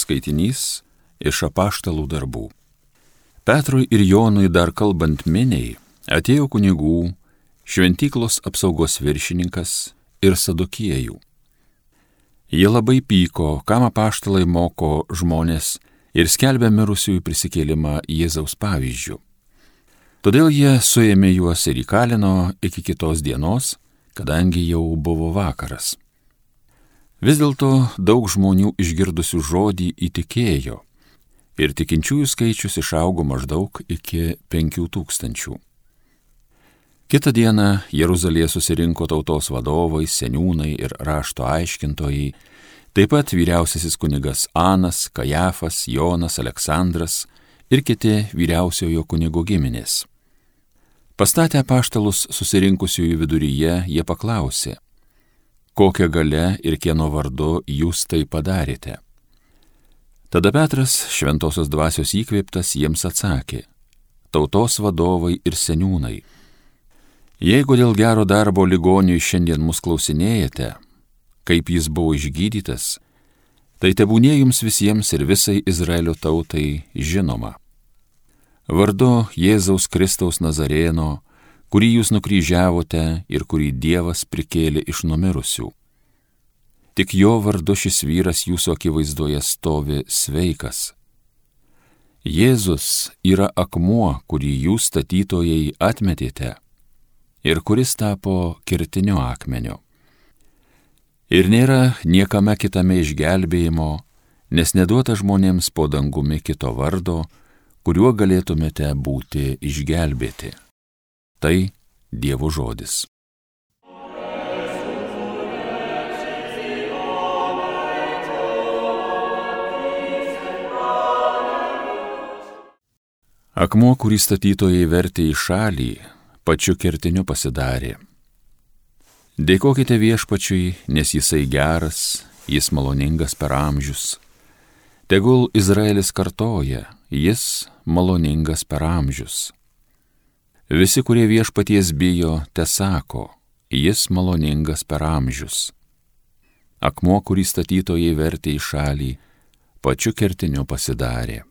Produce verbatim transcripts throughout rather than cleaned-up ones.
skaitinys iš Apaštalų darbų. Petrui ir Jonui dar kalbant miniai atėjo kunigų, šventyklos apsaugos viršininkas ir sadukiejų. Jie labai pyko, kam apaštalai moko žmonės ir skelbia mirusiųjų prisikėlimą Jėzaus pavyzdžių. Todėl jie suėmė juos ir įkalino iki kitos dienos, kadangi jau buvo vakaras. Vis dėlto daug žmonių išgirdusių žodį įtikėjo ir tikinčiųjų skaičius išaugo maždaug iki penkių tūkstančių. Kitą dieną Jeruzalėje susirinko tautos vadovai, seniūnai ir rašto aiškintojai, taip pat vyriausiasis kunigas Anas, Kajafas, Jonas, Aleksandras ir kiti vyriausiojo kunigo giminės. Pastatę apaštalus susirinkusiųjų viduryje, jie paklausė, kokia galia ir kieno vardu jūs tai padarėte. Tada Petras, šventosios dvasios įkvėptas, jiems atsakė, tautos vadovai ir seniūnai, jeigu dėl gero darbo ligoniui šiandien mus klausinėjate, kaip jis buvo išgydytas, tai tebūnie jums visiems ir visai Izraelio tautai žinoma. Vardu Jėzaus Kristaus Nazarėno, kurį jūs nukryžiavote ir kurį Dievas prikėlė iš numirusių. Tik jo vardu šis vyras jūsų akivaizdoje stovi sveikas. Jėzus yra akmuo, kurį jūs statytojai atmetėte ir kuris tapo kertiniu akmeniu. Ir nėra niekame kitame išgelbėjimo, nes neduota žmonėms po dangumi kito vardo, kuriuo galėtumėte būti išgelbėti. Tai Dievo žodis. Akmuo, kurį statytojai vertė į šalį, pačiu kertiniu pasidarė. Dėkokite viešpačiui, nes jisai geras, jis maloningas per amžius. Tegul Izraelis kartoja, jis maloningas per amžius. Visi, kurie viešpaties bijo, tesako, jis maloningas per amžius. Akmuo, kurį statytojai vertė į šalį, pačiu kertiniu pasidarė.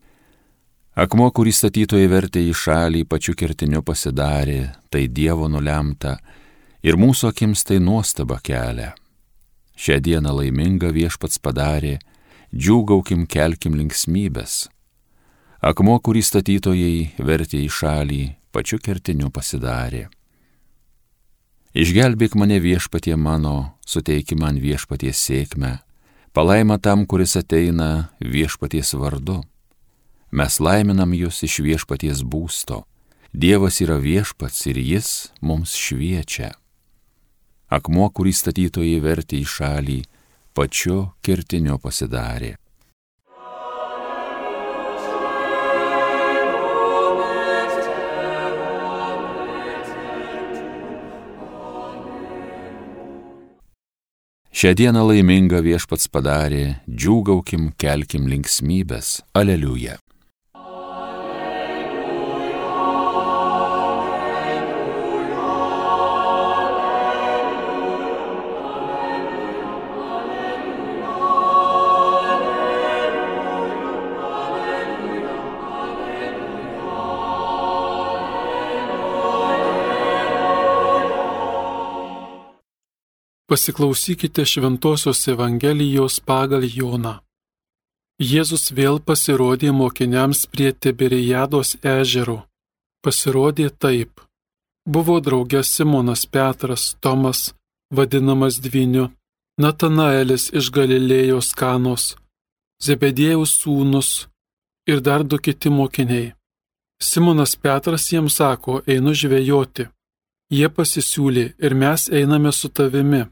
Akmuo, kurį statytojai vertė į šalį, pačiu kertiniu pasidarė, tai Dievo nulemta, ir mūsų akims tai nuostaba kelia. Šią dieną laimingą viešpats padarė, džiūgaukim, kelkim linksmybės. Akmuo, kurį statytojai vertė į šalį, pačiu kertiniu pasidarė. Išgelbėk mane viešpatie mano, suteiki man viešpaties sėkmę, palaima tam, kuris ateina viešpaties vardu. Mes laiminam jūs iš viešpaties būsto. Dievas yra viešpats ir jis mums šviečia. Akmuo, kurį statytojai vertė į šalį, pačiu kertiniu pasidarė. Šią dieną laimingą viešpats padarė, džiūgaukim, kelkim linksmybės. Aleliuja. Pasiklausykite Šventosios Evangelijos pagal Joną. Jėzus vėl pasirodė mokiniams prie Tiberiados ežero. Pasirodė taip. Buvo drauge Simonas Petras, Tomas, vadinamas Dvyniu, Natanaelis iš Galilėjos Kanos, Zebediejaus sūnus ir dar du kiti mokiniai. Simonas Petras jiems sako, einu žvejoti. Jie pasisiūlė ir mes einame su tavimi.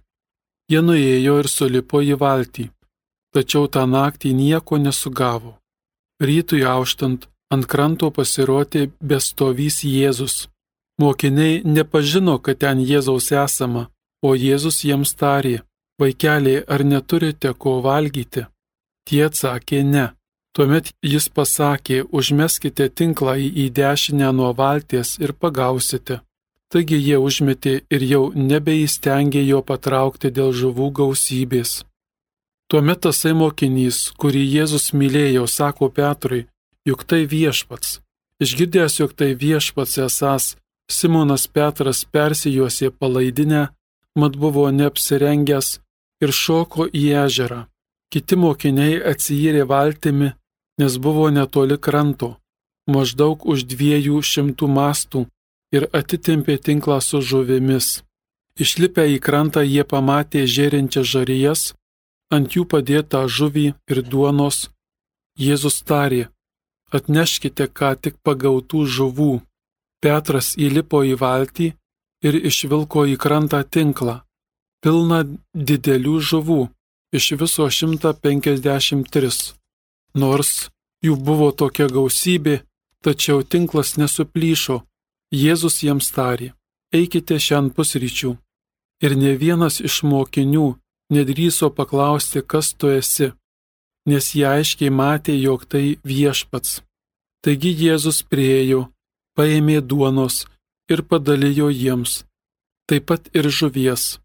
Jie nuėjo ir sulipo į valtį, tačiau tą naktį nieko nesugavo. Rytui auštant ant kranto pasirodė bestovys Jėzus. Mokiniai nepažino, kad ten Jėzaus esama, o Jėzus jiems tarė, vaikeliai, ar neturite ko valgyti? Tie atsakė ne. Tuomet jis pasakė, užmeskite tinklą į dešinę nuo valties ir pagausite. Taigi jie užmetė ir jau nebeįstengė jo patraukti dėl žuvų gausybės. Tuomet tasai mokinys, kurį Jėzus mylėjo, sako Petrui, juk tai viešpats. Išgirdęs, jog tai viešpats esąs, Simonas Petras persijuosė palaidinę, mat buvo neapsirengęs ir šoko į ežerą. Kiti mokiniai atsijyrė valtimi, nes buvo netoli kranto, maždaug už dviejų šimtų mastų, ir atitempė tinklą su žuvimis. Išlipę į krantą jie pamatė žėrinčias žarijas, ant jų padėtą žuvį ir duonos. Jėzus tarė, atneškite ką tik pagautų žuvų. Petras įlipo į valtį ir išvilko į krantą tinklą, pilną didelių žuvų, iš viso šimtą penkiasdešimt tris. Nors jų buvo tokia gausybė, tačiau tinklas nesuplyšo. Jėzus jiems tarė, eikite šiandien pusryčių. Ir ne vienas iš mokinių nedrįso paklausti, kas tu esi, nes jie aiškiai matė, jog tai viešpats. Taigi Jėzus priėjo, paėmė duonos ir padalijo jiems, taip pat ir žuvies.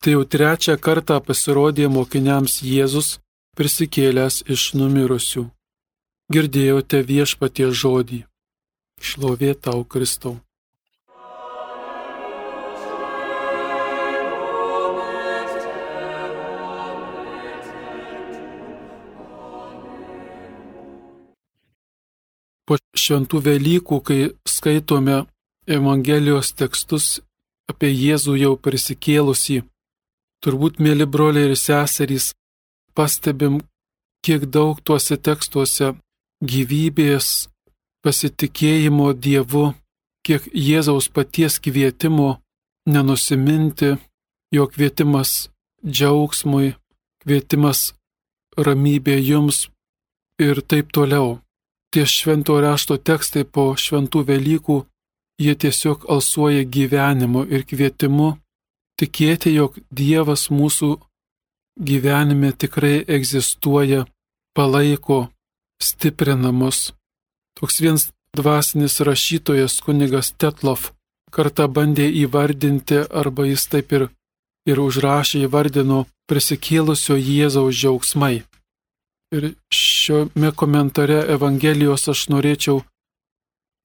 Tai jau trečią kartą pasirodė mokiniams Jėzus, prisikėlęs iš numirusių. Girdėjote viešpaties žodį. Šlovė tau, Kristau. Po šventų Velykų, kai skaitome Evangelijos tekstus apie Jėzų jau prisikėlusį, turbūt, mėly broliai ir seserys, pastebim, kiek daug tuose tekstuose gyvybės, pasitikėjimo Dievu, kiek Jėzaus paties kvietimo nenusiminti, jo kvietimas džiaugsmui, kvietimas ramybė jums ir taip toliau. Tie švento rašto tekstai po šventų Velykų, jie tiesiog alsuoja gyvenimu ir kvietimu tikėti, jog Dievas mūsų gyvenime tikrai egzistuoja, palaiko, stiprina mus. Toks vienas dvasinis rašytojas kunigas Tetlov kartą bandė įvardinti, arba jis taip ir, ir užrašė įvardino prisikėlusio Jėzaus džiaugsmai. Ir šiame komentare Evangelijos aš norėčiau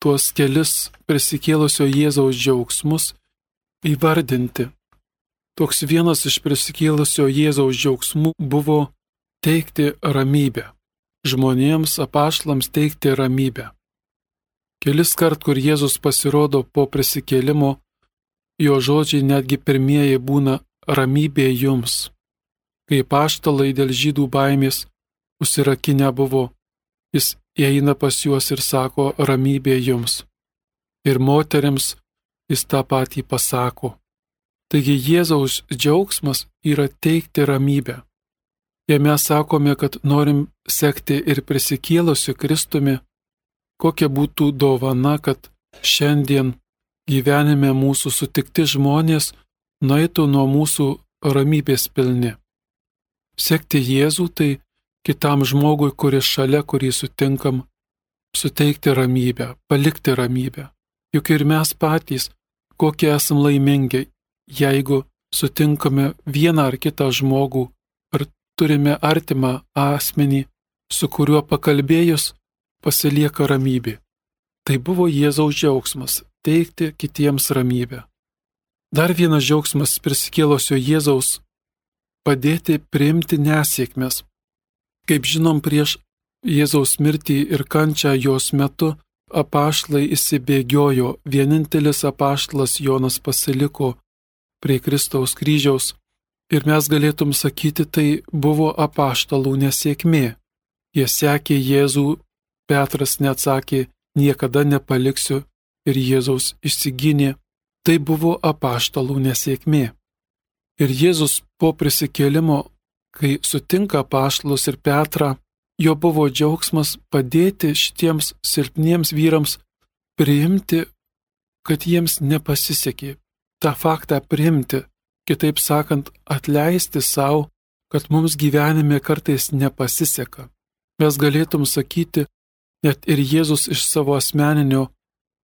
tuos kelis prisikėlusio Jėzaus džiaugsmus įvardinti. Toks vienas iš prisikėlusio Jėzaus džiaugsmų buvo teikti ramybę. Žmonėms, apaštalams teikti ramybę. Kelis kart, kur Jėzus pasirodo po prisikėlimo, jo žodžiai netgi pirmieji būna ramybė jums. Kai apaštalai dėl žydų baimės užsirakinę buvo, jis eina pas juos ir sako ramybė jums. Ir moterims jis tą patį pasako. Taigi Jėzaus džiaugsmas yra teikti ramybę. Jei mes sakome, kad norim sekti ir prisikėlusiu Kristumi, kokia būtų dovana, kad šiandien gyvenime mūsų sutikti žmonės nueitų nuo mūsų ramybės pilni. Sekti Jėzų tai kitam žmogui, kuris šalia, kurį sutinkam, suteikti ramybę, palikti ramybę. Juk ir mes patys, kokie esam laimingi, jeigu sutinkame vieną ar kitą žmogų, ar turime artimą asmenį, su kuriuo pakalbėjus pasilieka ramybė. Tai buvo Jėzaus džiaugsmas – teikti kitiems ramybę. Dar vienas džiaugsmas prisikėlusio Jėzaus – padėti priimti nesėkmes. Kaip žinom, prieš Jėzaus mirtį ir kančią jos metu apaštalai įsibėgiojo, vienintelis apaštalas Jonas pasiliko prie Kristaus kryžiaus ir mes galėtum sakyti, tai buvo apaštalų nesėkmė. Jie sekė Jėzų, Petras neatsakė, niekada nepaliksiu ir Jėzaus išsigynė. Tai buvo apaštalų nesėkmė. Ir Jėzus po prisikėlimo, kai sutinka apaštalus ir Petrą, jo buvo džiaugsmas padėti šitiems silpniems vyrams priimti, kad jiems nepasisekė. tą faktą priimti, kitaip sakant, atleisti savo, kad mums gyvenime kartais nepasiseka. Mes galėtum sakyti, net ir Jėzus iš savo asmeninio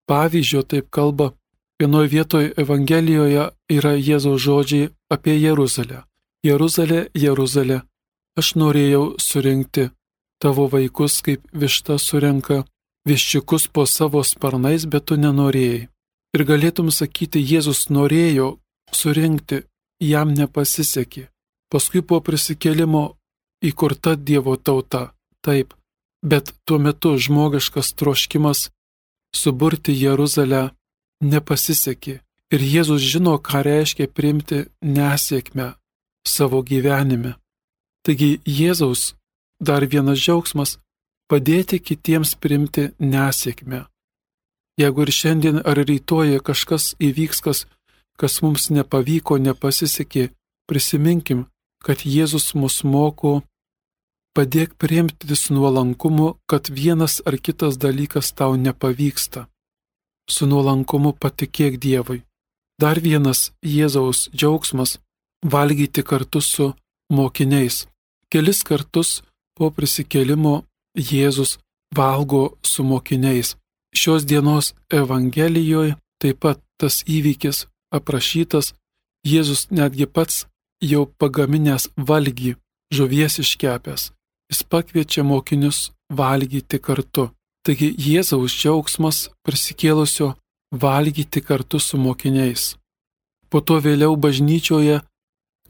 pavyzdžio taip kalba. Vienoje vietoje Evangelijoje yra Jėzaus žodžiai apie Jeruzalę. Jeruzalė, Jeruzalė, aš norėjau surinkti tavo vaikus, kaip višta surenka viščiukus po savo sparnais, bet tu nenorėjai. Ir galėtum sakyti, Jėzus norėjo surinkti, jam nepasisekė. Paskui po prisikėlimo įkurta Dievo tauta, taip, bet tuo metu žmogiškas troškimas suburti Jeruzalę nepasisekė. Ir Jėzus žino, ką reiškia priimti nesėkmę savo gyvenime. Taigi Jėzaus dar vienas džiaugsmas – padėti kitiems priimti nesėkmę. Jeigu ir šiandien ar rytoj kažkas įvyks, kas, kas mums nepavyko, nepasisekė, prisiminkim, kad Jėzus mus moko, padėk priimti su nuolankumu, kad vienas ar kitas dalykas tau nepavyksta. Su nuolankumu patikėk Dievui. Dar vienas Jėzaus džiaugsmas – valgyti kartu su mokiniais. Kelis kartus po prisikėlimo Jėzus valgo su mokiniais. Šios dienos Evangelijoje taip pat tas įvykis aprašytas, Jėzus netgi pats jau pagaminęs valgį, žuvies iškepęs. Jis pakviečia mokinius valgyti kartu. Taigi Jėzaus džiaugsmas prisikėlusio valgyti kartu su mokiniais. Po to vėliau bažnyčioje,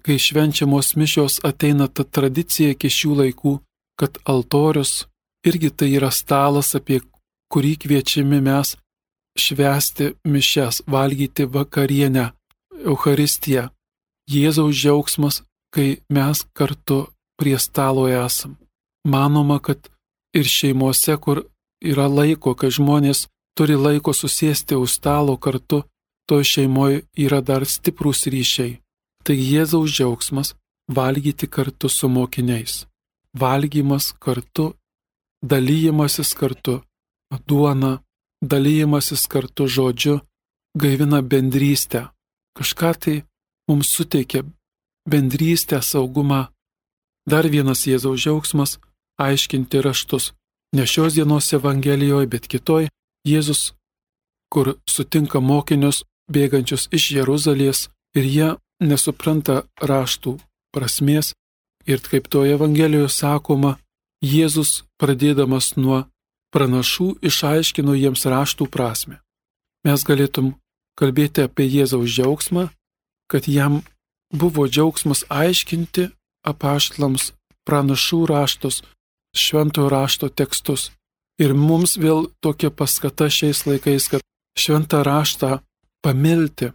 kai švenčiamos mišios, ateina ta tradicija iki šių laikų, kad altorius irgi tai yra stalas, apie kurį kviečiami mes švęsti mišias, valgyti vakarienę, Eucharistiją. Jėzaus džiaugsmas, kai mes kartu prie stalo esam. Manoma, kad ir šeimose, kur yra laiko, kai žmonės turi laiko susėsti už stalo kartu, toj šeimoje yra dar stiprūs ryšiai. Tai Jėzaus džiaugsmas – valgyti kartu su mokiniais. Valgymas kartu, dalyjimasis kartu, duona, dalyjimasis kartu žodžiu, gaivina bendrystę. Kažką tai mums suteikia bendrystę, saugumą. Dar vienas Jėzaus džiaugsmas – aiškinti raštus. Ne šios dienos Evangelijoje, bet kitoj Jėzus, kur sutinka mokinius bėgančius iš Jeruzalės ir jie nesupranta raštų prasmės. Ir kaip toje Evangelijoje sakoma, Jėzus, pradėdamas nuo pranašų, išaiškino jiems raštų prasmę. Mes galėtum kalbėti apie Jėzaus džiaugsmą, kad jam buvo džiaugsmas aiškinti apaštalams pranašų raštus, šventojo rašto tekstus. Ir mums vėl tokia paskata šiais laikais, kad šventą raštą pamilti,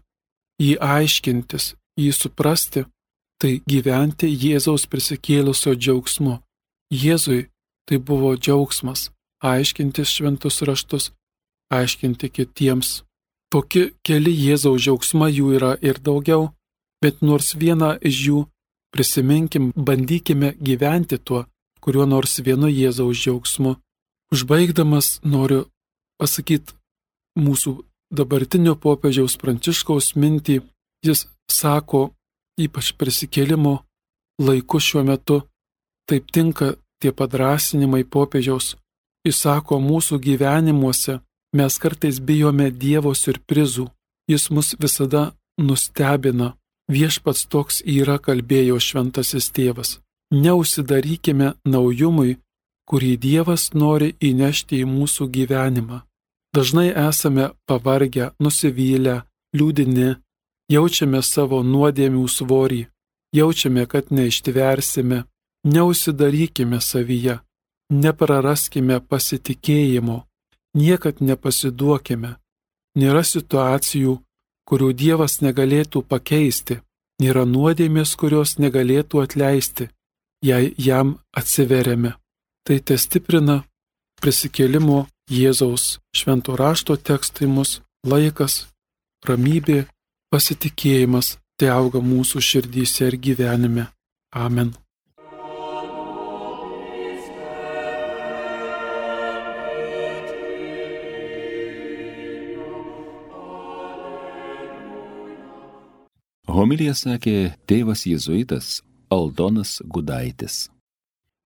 jį aiškintis, jį suprasti, tai gyventi Jėzaus prisikėlusio džiaugsmu. Jėzui tai buvo džiaugsmas aiškintis šventus raštus, aiškinti kitiems. Tokie keli Jėzaus džiaugsmai, jų yra ir daugiau, bet nors vieną iš jų prisiminkim, bandykime gyventi tuo, kuriuo nors vienu Jėzaus džiaugsmu. Užbaigdamas noriu pasakyti mūsų dabartinio popiežiaus Pranciškaus mintį. Jis sako, ypač prisikėlimo laiku šiuo metu, taip tinka tie padrasinimai popiežiaus. Jis sako, mūsų gyvenimuose mes kartais bijome Dievo siurprizų. Jis mus visada nustebina. Viešpats toks yra, kalbėjo šventasis tėvas. Neužsidarykime naujumui, kurį Dievas nori įnešti į mūsų gyvenimą. Dažnai esame pavargę, nusivylę, liūdini, jaučiame savo nuodėmių svorį, jaučiame, kad neištversime. Neužsidarykime savyje, nepraraskime pasitikėjimo, niekad nepasiduokime. Nėra situacijų, kurių Dievas negalėtų pakeisti, nėra nuodėmės, kurios negalėtų atleisti, jei jam atsiveriame. Tai te stiprina prisikėlimo Jėzaus švento rašto tekstai mus, laikas, ramybė, pasitikėjimas, te auga mūsų širdyse ir gyvenime. Amen. Homiliją sakė tėvas jėzuitas Aldonas Gudaitis.